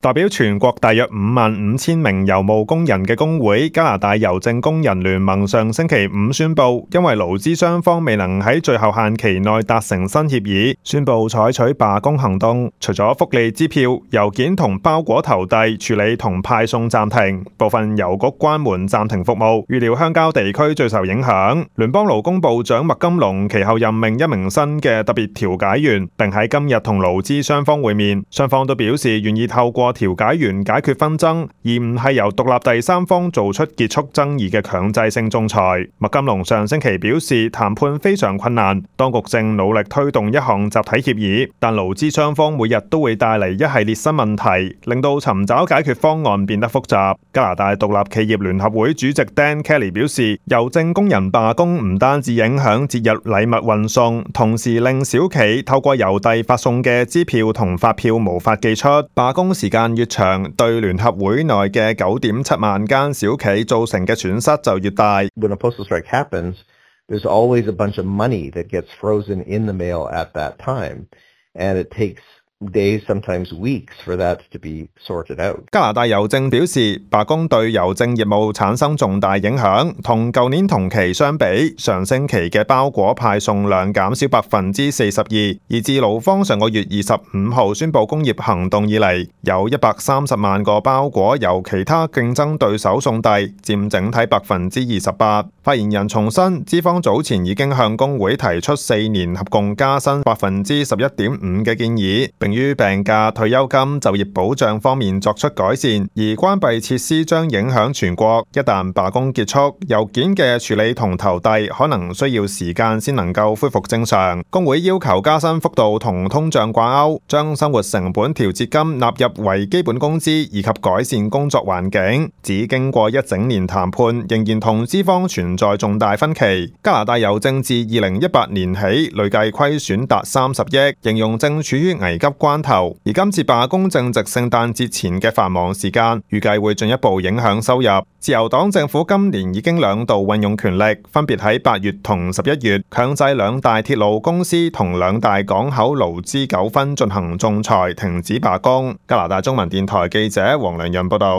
代表全國大約55000名郵務工人嘅工會加拿大郵政工人聯盟上星期五宣布，因為勞資雙方未能喺最後限期內達成新協議，宣布採取罷工行動。除咗福利支票、郵件同包裹投遞、處理同派送暫停，部分郵局關門暫停服務，預料鄉郊地區最受影響。聯邦勞工部長麥金龍其後任命一名新嘅特別調解員，並喺今日同勞資雙方會面，雙方都表示願意透過調解員解決紛爭，而唔係由獨立第三方做出結束爭議嘅強制性仲裁。麥金龍上星期表示，談判非常困難，當局正努力推動一項集體協議，但勞資雙方每日都會帶嚟一系列新問題，令到尋找解決方案變得複雜。加拿大獨立企業聯合會主席 Dan Kelly 表示，郵政工人罷工唔單止影響節日禮物運送，同時令小企透過郵遞發送嘅支票同發票無法寄出。罷工時間越長，對聯合會內嘅9.7萬間小企造成嘅損失就越大。When a postal strike happens, there's always a bunch of money that gets frozen in the mail at that time, and it takes days, sometimes weeks, for that to be sorted out. 加拿大郵政表示，罷工對郵政業務產生重大影響，同舊年同期相比，上星期嘅包裹派送量減少42%，而自勞方上個月25號宣布工業行動以嚟，有130萬個包裹由其他競爭對手送遞，佔整體28%。發言人重申，資方早前已經向工會提出4年合共加薪11.5%嘅建議，並於病假、退休金、就業保障方面作出改善，而關閉設施將影響全國。一旦罷工結束，郵件嘅處理同投遞可能需要時間先能夠恢復正常。工會要求加薪幅度同通脹掛鈎，將生活成本調節金納入為基本工資，以及改善工作環境。只經過一整年談判，仍然同資方存在重大分歧。加拿大郵政自2018年起累計虧損達30億，形容正處於危急關頭，而今次罷工正值聖誕節前嘅繁忙時間，預計會進一步影響收入。自由黨政府今年已經2度運用權力，分別喺8月同11月強制2大鐵路公司同2大港口勞資糾紛進行仲裁，停止罷工。加拿大中文電台記者黃良潤報道。